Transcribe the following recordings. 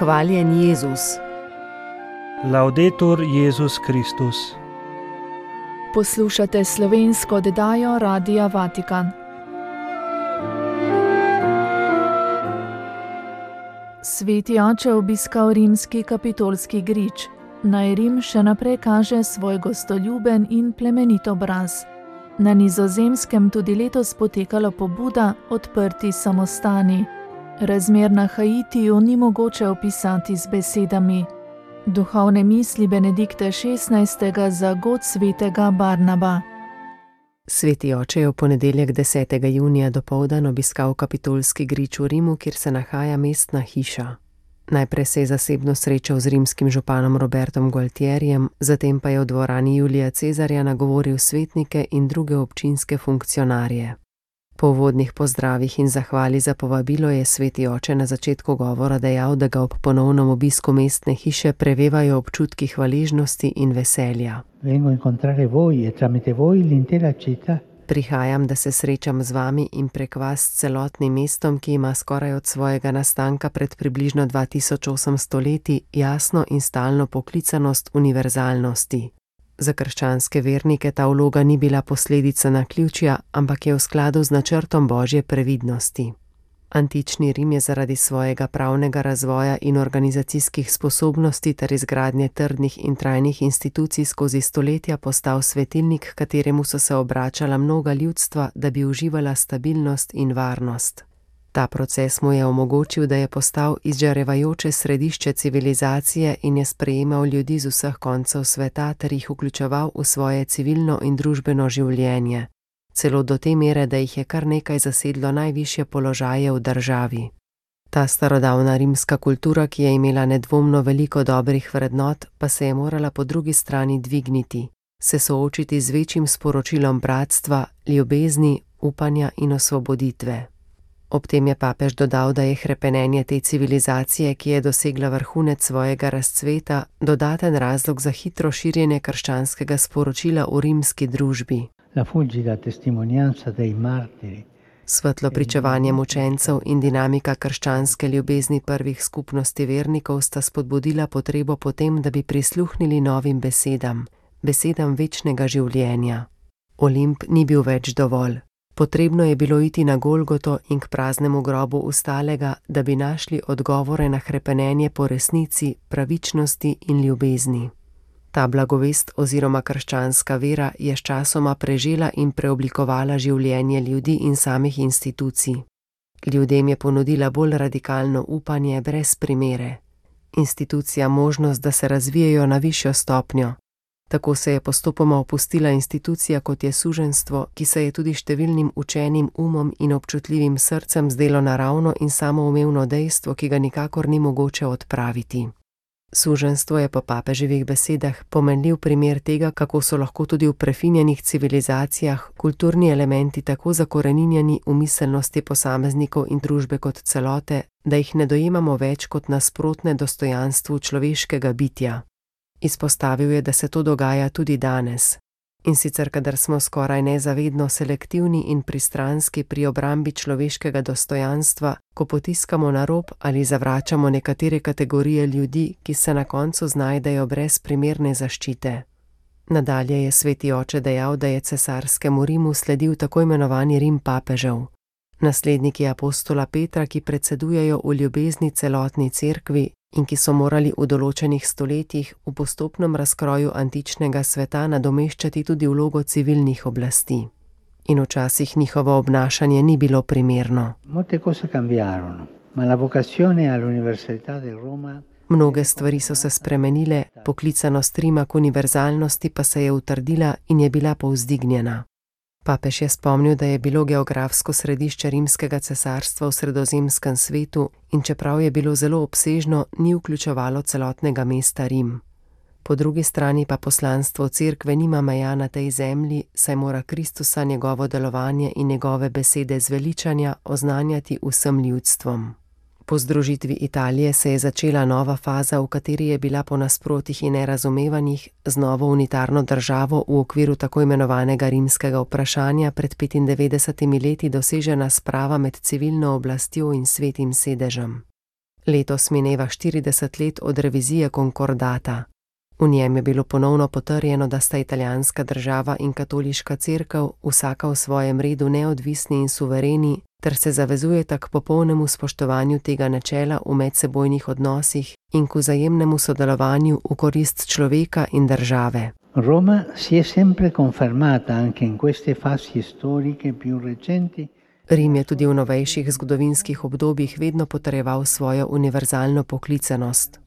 Hvaljen Jezus. Laudetur Jezus Kristus. Poslušate slovensko oddajo Radia Vatikan. Sveti oče obiskal rimski kapitolski grič. Naj Rim še naprej kaže svoj gostoljuben in plemenit obraz. Na Nizozemskem tudi letos potekala pobuda Odprti samostani. Razmer na Haitiju ni mogoče opisati z besedami. Duhovne misli Benedikta XVI. Za god svetega Barnaba. Sveti oče je v ponedeljek 10. junija dopoldan obiskal kapitolski grič v Rimu, kjer se nahaja mestna hiša. Najprej se je zasebno srečal z rimskim županom Robertom Gualtierjem, zatem pa je v dvorani Julija Cezarja nagovoril svetnike in druge občinske funkcionarje. Po uvodnih pozdravih in zahvali za povabilo je sveti oče na začetku govora dejal, da ga ob ponovnem obisku mestne hiše prevevajo občutki hvaležnosti in veselja. Prihajam, da se srečam z vami in prek vas s celotnim mestom, ki ima skoraj od svojega nastanka pred približno 2800 leti jasno in stalno poklicanost univerzalnosti. Za krščanske vernike ta vloga ni bila posledica naključja, ampak je v skladu z načrtom Božje previdnosti. Antični Rim je zaradi svojega pravnega razvoja in organizacijskih sposobnosti ter izgradnje trdnih in trajnih institucij skozi stoletja postal svetilnik, kateremu so se obračala mnoga ljudstva, da bi uživala stabilnost in varnost. Ta proces mu je omogočil, da je postal izžarevajoče središče civilizacije in je sprejemal ljudi z vseh koncev sveta ter jih vključeval v svoje civilno in družbeno življenje. Celo do te mere, da jih je kar nekaj zasedlo najvišje položaje v državi. Ta starodavna rimska kultura, ki je imela nedvomno veliko dobrih vrednot, pa se je morala po drugi strani dvigniti, se soočiti z večjim sporočilom bratstva, ljubezni, upanja in osvoboditve. Ob tem je papež dodal, da je hrepenenje te civilizacije, ki je dosegla vrhunec svojega razcveta, dodaten razlog za hitro širjenje krščanskega sporočila v rimski družbi. Svetlo pričevanje mučencev in dinamika krščanske ljubezni prvih skupnosti vernikov sta spodbudila potrebo po tem, da bi prisluhnili novim besedam večnega življenja. Olimp ni bil več dovolj. Potrebno je bilo iti na Golgoto in k praznemu grobu ustalega, da bi našli odgovore na hrepenenje po resnici, pravičnosti in ljubezni. Ta blagovest oziroma krščanska vera je sčasoma prežela in preoblikovala življenje ljudi in samih institucij. Ljudem je ponudila bolj radikalno upanje brez primere. Institucija možnost, da se razvijajo na višjo stopnjo. Tako se je postopoma opustila institucija, kot je suženjstvo, ki se je tudi številnim učenim umom in občutljivim srcem zdelo naravno in samoumevno dejstvo, ki ga nikakor ni mogoče odpraviti. Suženjstvo je po papeževih besedah pomenljiv primer tega, kako so lahko tudi v prefinjenih civilizacijah kulturni elementi tako zakoreninjeni v miselnosti posameznikov in družbe kot celote, da jih ne dojemamo več kot nasprotne dostojanstvu človeškega bitja. Izpostavil je, da se to dogaja tudi danes. In sicer, kadar smo skoraj nezavedno selektivni in pristranski pri obrambi človeškega dostojanstva, ko potiskamo na rob ali zavračamo nekatere kategorije ljudi, ki se na koncu znajdejo brez primerne zaščite. Nadalje je sveti oče dejal, da je cesarskemu Rimu sledil tako imenovani Rim papežev. Nasledniki apostola Petra, ki predsedujejo v ljubezni celotni cerkvi in ki so morali v določenih stoletjih v postopnem razkroju antičnega sveta nadomeščati tudi vlogo civilnih oblasti. In včasih njihovo obnašanje ni bilo primerno. Mnoge stvari so se spremenile, poklicanost Rima k univerzalnosti pa se je utrdila in je bila povzdignjena. Papež je spomnil, da je bilo geografsko središče rimskega cesarstva v sredozemskem svetu in čeprav je bilo zelo obsežno, ni vključevalo celotnega mesta Rim. Po drugi strani pa poslanstvo cerkve nima meja na tej zemlji, saj mora Kristusa njegovo delovanje in njegove besede zveličanja oznanjati vsem ljudstvom. Po združitvi Italije se je začela nova faza, v kateri je bila po nasprotjih in nerazumevanjih z novo unitarno državo v okviru tako imenovanega rimskega vprašanja pred 95 leti dosežena sprava med civilno oblastjo in svetim sedežem. Letos mineva 40 let od revizije konkordata. V njem je bilo ponovno potrjeno, da sta italijanska država in katoliška cerkev vsaka v svojem redu neodvisni in suvereni, ter se zavezujeta k popolnemu spoštovanju tega načela v medsebojnih odnosih in k vzajemnemu sodelovanju v korist človeka in države. Roma si è sempre confermata anche in queste fasi storiche più recenti. Rim je tudi v novejših zgodovinskih obdobjih vedno potrjeval svojo univerzalno poklicanost.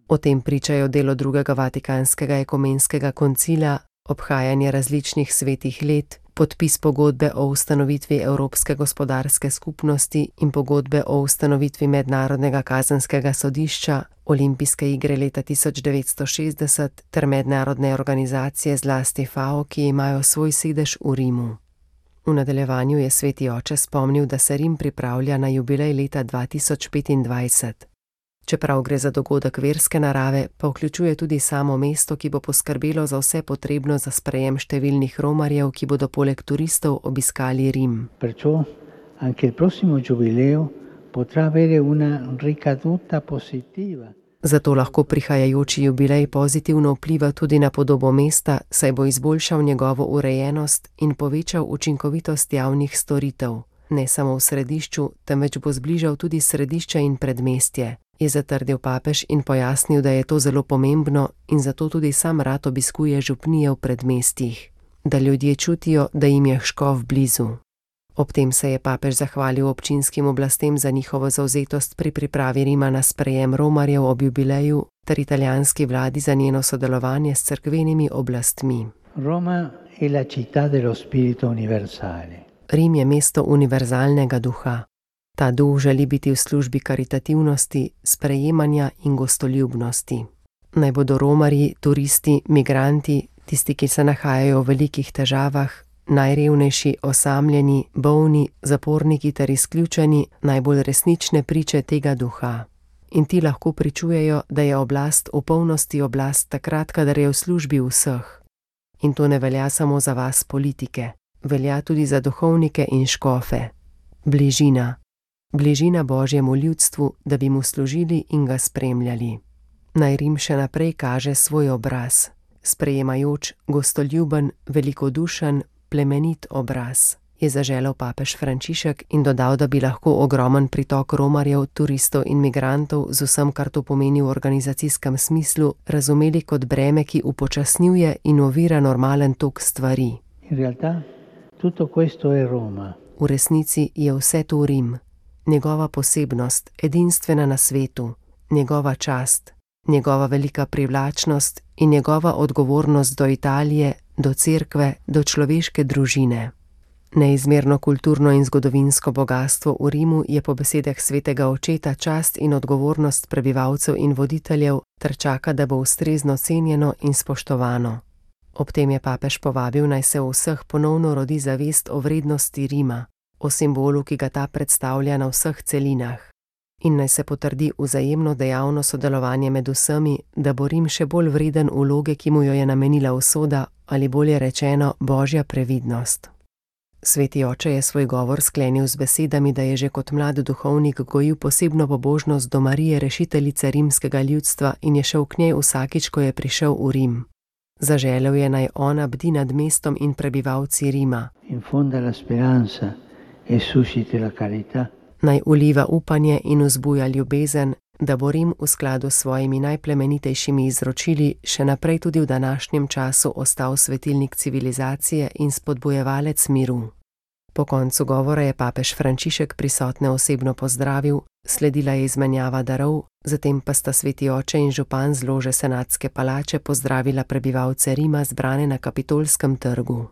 O tem pričajo delo drugega Vatikanskega ekumenskega koncila, obhajanje različnih svetih let, podpis pogodbe o ustanovitvi Evropske gospodarske skupnosti in pogodbe o ustanovitvi Mednarodnega kazenskega sodišča, Olimpijske igre leta 1960 ter mednarodne organizacije, zlasti FAO, ki imajo svoj sedež v Rimu. V nadaljevanju je sveti oče spomnil, da se Rim pripravlja na jubilej leta 2025. Čeprav gre za dogodek verske narave, pa vključuje tudi samo mesto, ki bo poskrbelo za vse potrebno za sprejem številnih romarjev, ki bodo poleg turistov obiskali Rim. Perciò anche il prossimo giubileo potrà avere una ricaduta positiva. Zato lahko prihajajoči jubilej pozitivno vpliva tudi na podobo mesta, saj bo izboljšal njegovo urejenost in povečal učinkovitost javnih storitev. Ne samo v središču, temveč bo zbližal tudi središče in predmestje, je zatrdil papež in pojasnil, da je to zelo pomembno in zato tudi sam rad obiskuje župnije v predmestjih, da ljudje čutijo, da jim je škof blizu. Ob tem se je papež zahvalil občinskim oblastem za njihovo zavzetost pri pripravi Rima na sprejem romarjev ob jubileju ter italijanski vladi za njeno sodelovanje s cerkvenimi oblastmi. Roma è la città dello spirito universale. Rim je mesto univerzalnega duha. Ta duh želi biti v službi karitativnosti, sprejemanja in gostoljubnosti. Naj bodo romarji, turisti, migranti, tisti, ki se nahajajo v velikih težavah, najrevnejši, osamljeni, bolni, zaporniki ter izključeni, najbolj resnične priče tega duha. In ti lahko pričujejo, da je oblast v polnosti oblast takrat, kadar je v službi vseh. In to ne velja samo za vas politike, velja tudi za duhovnike in škofe. Bližina. Bližina Božjemu ljudstvu, da bi mu služili in ga spremljali. Naj Rim še naprej kaže svoj obraz, sprejemajoč, gostoljuben, velikodušen, plemenit obraz, je zaželel papež Frančišek in dodal, da bi lahko ogromen pritok romarjev, turistov in migrantov z vsem, kar to pomeni v organizacijskem smislu, razumeli kot breme, ki upočasnjuje in ovira normalen tok stvari. In realtà tutto questo è Roma. V resnici je vse to Rim, njegova posebnost, edinstvena na svetu, njegova čast, njegova velika privlačnost in njegova odgovornost do Italije, do cerkve, do človeške družine. Neizmerno kulturno in zgodovinsko bogastvo v Rimu je po besedah svetega očeta čast in odgovornost prebivalcev in voditeljev ter čaka, da bo ustrezno cenjeno in spoštovano. Ob tem je papež povabil, naj se v vseh ponovno rodi zavest o vrednosti Rima, o simbolu, ki ga ta predstavlja na vseh celinah. In naj se potrdi vzajemno dejavno sodelovanje med vsemi, da bo Rim še bolj vreden vloge, ki mu jo je namenila usoda, ali bolje rečeno, Božja previdnost. Sveti oče je svoj govor sklenil z besedami, da je že kot mlad duhovnik gojil posebno pobožnost do Marije, rešiteljice rimskega ljudstva, in je šel k njej vsakič, ko je prišel v Rim. Zaželel je, naj ona bdi nad mestom in prebivalci Rima. Infonda la speranza e susciti la carità. Naj uliva upanje in vzbuja ljubezen, da bo Rim v skladu s svojimi najplemenitejšimi izročili še naprej tudi v današnjem času ostal svetilnik civilizacije in spodbujevalec miru. Po koncu govora je papež Frančišek prisotne osebno pozdravil, sledila je izmenjava darov, zatem pa sta sveti oče in župan z lože senatske palače pozdravila prebivalce Rima zbrane na Kapitolskem trgu.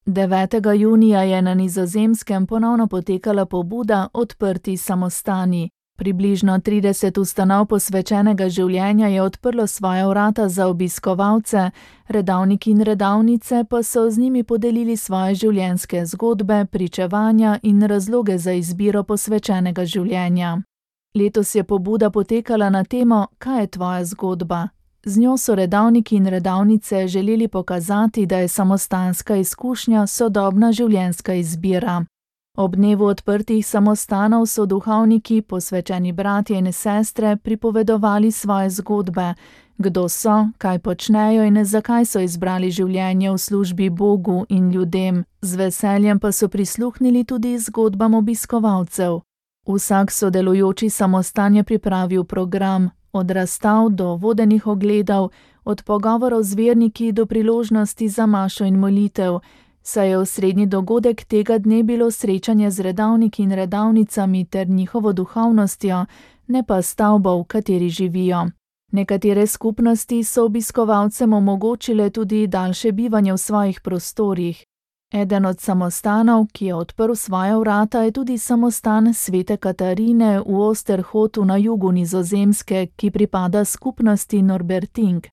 9. junija je na Nizozemskem ponovno potekala pobuda Odprti samostani. Približno 30 ustanov posvečenega življenja je odprlo svoja vrata za obiskovalce, redavniki in redavnice pa so z njimi podelili svoje življenjske zgodbe, pričevanja in razloge za izbiro posvečenega življenja. Letos je pobuda potekala na temo Kaj je tvoja zgodba? Z njo so redavniki in redavnice želeli pokazati, da je samostanska izkušnja sodobna življenjska izbira. Ob dnevu odprtih samostanov so duhovniki, posvečeni bratje in sestre, pripovedovali svoje zgodbe, kdo so, kaj počnejo in zakaj so izbrali življenje v službi Bogu in ljudem. Z veseljem pa so prisluhnili tudi zgodbam obiskovalcev. Vsak sodelujoči samostan je pripravil program, od razstav do vodenih ogledov, od pogovorov z verniki do priložnosti za mašo in molitev, saj je osrednji dogodek tega dne bilo srečanje z redavniki in redavnicami ter njihovo duhovnostjo, ne pa stavbo, v kateri živijo. Nekatere skupnosti so obiskovalcem omogočile tudi daljše bivanje v svojih prostorih. Eden od samostanov, ki je odprl svoja vrata, je tudi samostan svete Katarine v Osterhotu na jugu Nizozemske, ki pripada skupnosti Norberting.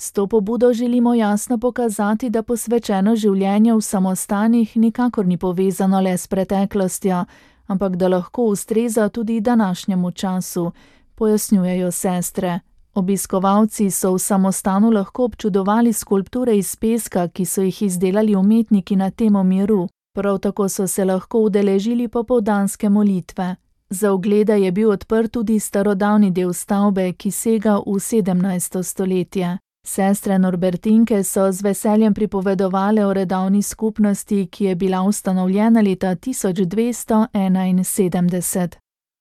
S to pobudo želimo jasno pokazati, da posvečeno življenje v samostanih nikakor ni povezano le s preteklostjo, ampak da lahko ustreza tudi današnjemu času, pojasnjujejo sestre. Obiskovalci so v samostanu lahko občudovali skulpture iz peska, ki so jih izdelali umetniki na temo miru. Prav tako so se lahko udeležili popoldanske molitve. Za oglede je bil odprt tudi starodavni del stavbe, ki sega v 17. stoletje. Sestre Norbertinke so z veseljem pripovedovale o redavni skupnosti, ki je bila ustanovljena leta 1271.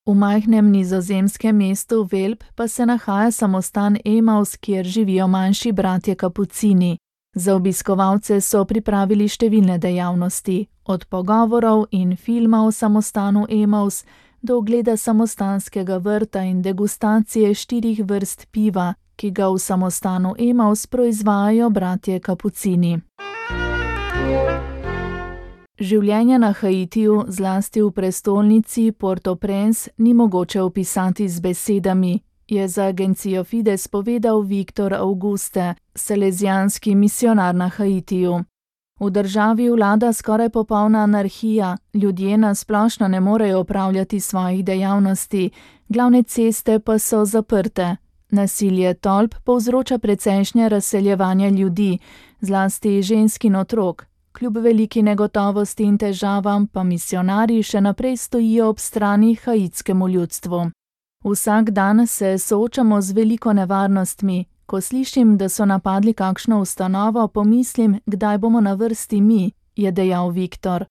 V majhnem nizozemskem mestu Velp pa se nahaja samostan Emaus, kjer živijo manjši bratje kapucini. Za obiskovalce so pripravili številne dejavnosti, od pogovorov in filma o samostanu Emaus do ogleda samostanskega vrta in degustacije 4 vrst piva, ki ga v samostanu Emaus proizvajajo bratje kapucini. Življenje na Haitiju, zlasti v prestolnici Port-au-Prince, ni mogoče opisati z besedami, je za agencijo Fides povedal Victor Auguste, salezijanski misionar na Haitiju. V državi vlada skoraj popolna anarhija, ljudje na splošno ne morejo opravljati svojih dejavnosti, glavne ceste pa so zaprte. Nasilje tolp povzroča precejšnje razseljevanje ljudi, zlasti žensk in otrok. Kljub veliki negotovosti in težavam pa misionarji še naprej stojijo ob strani haitskemu ljudstvu. Vsak dan se soočamo z veliko nevarnostmi. Ko slišim, da so napadli kakšno ustanovo, pomislim, kdaj bomo na vrsti mi, je dejal Viktor.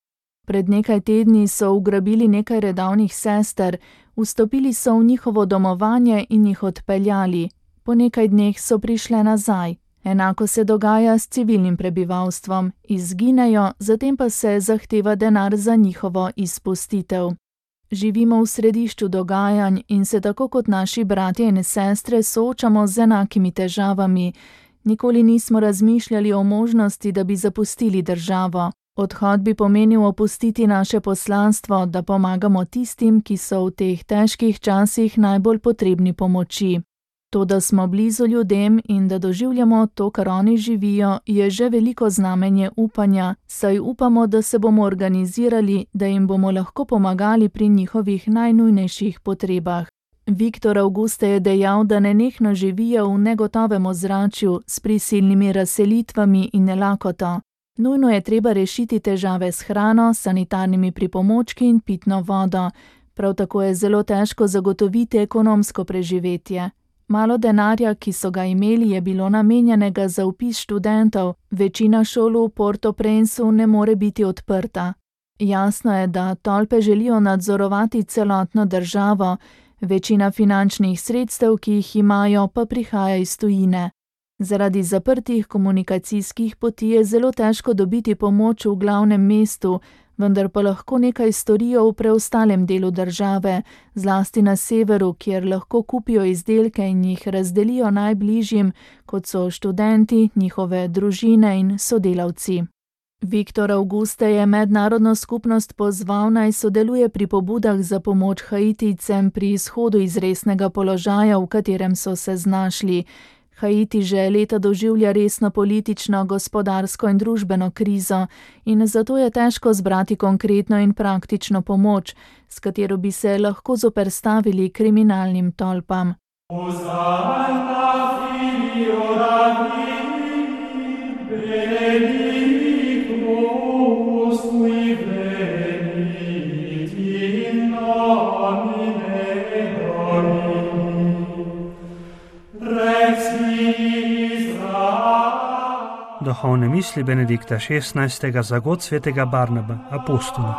Pred nekaj tedni so ugrabili nekaj redavnih sester, vstopili so v njihovo domovanje in jih odpeljali. Po nekaj dneh so prišle nazaj. Enako se dogaja s civilnim prebivalstvom, izginejo, zatem pa se zahteva denar za njihovo izpustitev. Živimo v središču dogajanj in se tako kot naši bratje in sestre soočamo z enakimi težavami. Nikoli nismo razmišljali o možnosti, da bi zapustili državo. Odhod bi pomenil opustiti naše poslanstvo, da pomagamo tistim, ki so v teh težkih časih najbolj potrebni pomoči. To, da smo blizu ljudem in da doživljamo to, kar oni živijo, je že veliko znamenje upanja, saj upamo, da se bomo organizirali, da jim bomo lahko pomagali pri njihovih najnujnejših potrebah. Viktor Auguste je dejal, da nenehno živijo v negotovem ozračju s prisilnimi razselitvami in nelakoto. Nujno je treba rešiti težave s hrano, sanitarnimi pripomočki in pitno vodo. Prav tako je zelo težko zagotoviti ekonomsko preživetje. Malo denarja, ki so ga imeli, je bilo namenjenega za vpis študentov, večina šol v Port-au-Princeu ne more biti odprta. Jasno je, da tolpe želijo nadzorovati celotno državo, večina finančnih sredstev, ki jih imajo, pa prihaja iz tujine. Zaradi zaprtih komunikacijskih poti je zelo težko dobiti pomoč v glavnem mestu, vendar pa lahko nekaj storijo v preostalem delu države, zlasti na severu, kjer lahko kupijo izdelke in jih razdelijo najbližjim, kot so študenti, njihove družine in sodelavci. Viktor Auguste je mednarodno skupnost pozval, naj sodeluje pri pobudah za pomoč Haitijcem pri izhodu iz resnega položaja, v katerem so se znašli. Haiti že leta doživlja resno politično, gospodarsko in družbeno krizo in zato je težko zbrati konkretno in praktično pomoč, s katero bi se lahko zoperstavili kriminalnim tolpam. duhovne misli Benedikta XVI. Za god svetega Barnaba, apostola.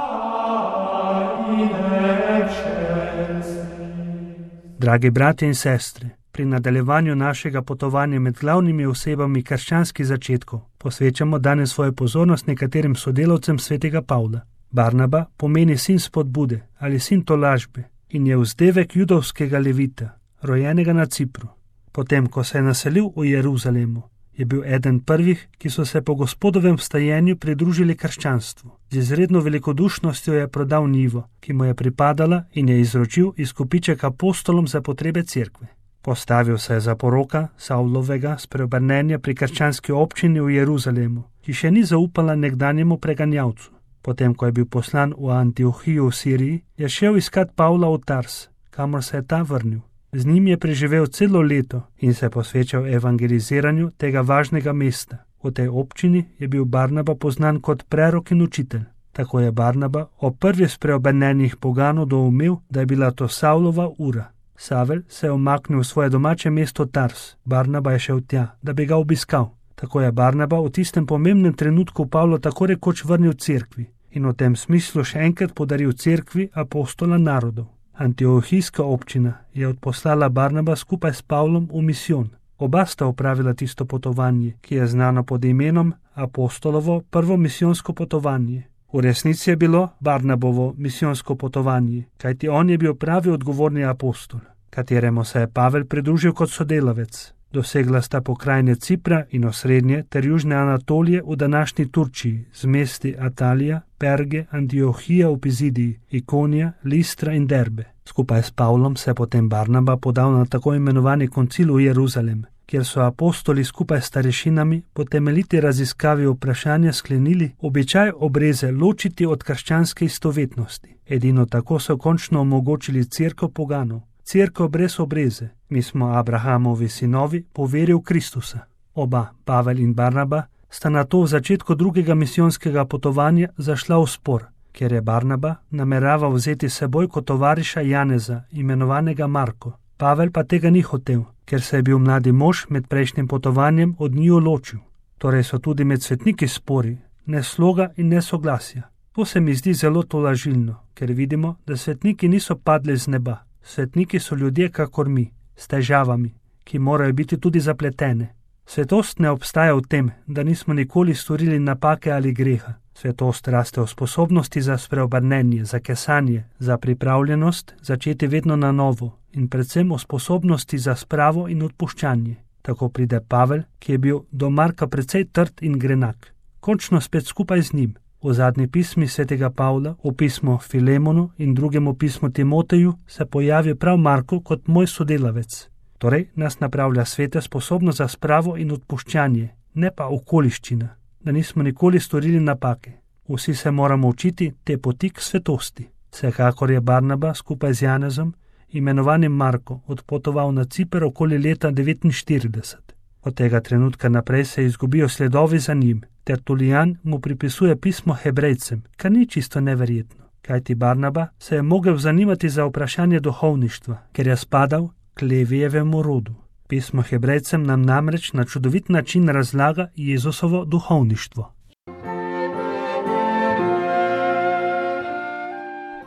Dragi bratje in sestre, pri nadaljevanju našega potovanja med glavnimi osebami krščanskih začetkov posvečamo danes svojo pozornost nekaterim sodelavcem svetega Pavla. Barnaba pomeni sin spodbude ali sin tolažbe in je vzdevek judovskega levita, rojenega na Cipru. Potem, ko se je naselil v Jeruzalemu, je bil eden prvih, ki so se po Gospodovem vstajenju pridružili krščanstvu. Z izredno velikodušnostjo je prodal njivo, ki mu je pripadala, in je izročil izkupiček apostolom za potrebe cerkve. Postavil se je za poroka Savlovega spreobrnenja pri krščanski občini v Jeruzalemu, ki še ni zaupala nekdanjemu preganjavcu. Potem, ko je bil poslan v Antiohijo v Siriji, je šel iskat Pavla v Tars, kamor se je ta vrnil. Z njim je preživel celo leto in se posvečal evangeliziranju tega važnega mesta. V tej občini je bil Barnaba poznan kot prerok in učitelj. Tako je Barnaba o prvi spreobrnenjih poganov doumel, da je bila to Savlova ura. Savel se je umaknil v svoje domače mesto Tars. Barnaba je šel tja, da bi ga obiskal. Tako je Barnaba v tistem pomembnem trenutku Pavlo tako rekoč vrnil cerkvi in v tem smislu še enkrat podaril cerkvi apostola narodov. Antiohijska občina je odposlala Barnaba skupaj s Pavlom v misijon. Oba sta opravila tisto potovanje, ki je znano pod imenom apostolovo prvo misijonsko potovanje. V resnici je bilo Barnabovo misijonsko potovanje, kajti on je bil pravi odgovorni apostol, kateremu se je Pavel pridružil kot sodelavec. Dosegla sta pokrajine Cipra in osrednje ter južne Anatolije v današnji Turčiji z mesti Atalija, Perge, Antiohija v Pizidiji, Ikonija, Listra in Derbe. Skupaj s Pavlom se je potem Barnaba podal na tako imenovani koncil v Jeruzalem, kjer so apostoli skupaj s starešinami po temeljiti raziskavi vprašanja sklenili običaj obreze ločiti od krščanske istovetnosti. Edino tako so končno omogočili cerkev poganov. Cerkev brez obreze. Mi smo Abrahamovi sinovi po veri v Kristusa. Oba, Pavel in Barnaba, sta na to v začetku drugega misijonskega potovanja zašla v spor, ker je Barnaba nameraval vzeti seboj kot tovariša Janeza, imenovanega Marko. Pavel pa tega ni hotel, ker se je bil mladi mož med prejšnjim potovanjem od njiju ločil. Torej so tudi med svetniki spori, ne sloga in ne soglasja. To se mi zdi zelo tolažilno, ker vidimo, da svetniki niso padli z neba. Svetniki so ljudje kakor mi, s težavami, ki morajo biti tudi zapletene. Svetost ne obstaja v tem, da nismo nikoli storili napake ali greha. Svetost raste v sposobnosti za spreobrnenje, za kesanje, za pripravljenost začeti vedno na novo in predvsem v sposobnosti za spravo in odpuščanje. Tako pride Pavel, ki je bil do Marka precej trd in grenak. Končno spet skupaj z njim. V zadnji pismi svetega Pavla, v pismu Filemonu in drugemu pismu Timoteju se pojavi prav Marko kot moj sodelavec. Torej nas napravlja svete sposobnost za spravo in odpuščanje, ne pa okoliščina, da nismo nikoli storili napake. Vsi se moramo učiti te poti k svetosti. Vsekakor je Barnaba skupaj z Janezom, imenovanim Marko, odpotoval na Ciper okoli leta 49. Od tega trenutka naprej se izgubijo sledovi za njim. Tertulijan mu pripisuje pismo Hebrejcem, kar ni čisto neverjetno, kajti Barnaba se je mogel zanimati za vprašanje duhovništva, ker je spadal k Levijevemu rodu. Pismo Hebrejcem nam namreč na čudovit način razlaga Jezusovo duhovništvo.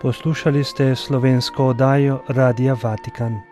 Poslušali ste slovensko oddajo Radia Vatikan.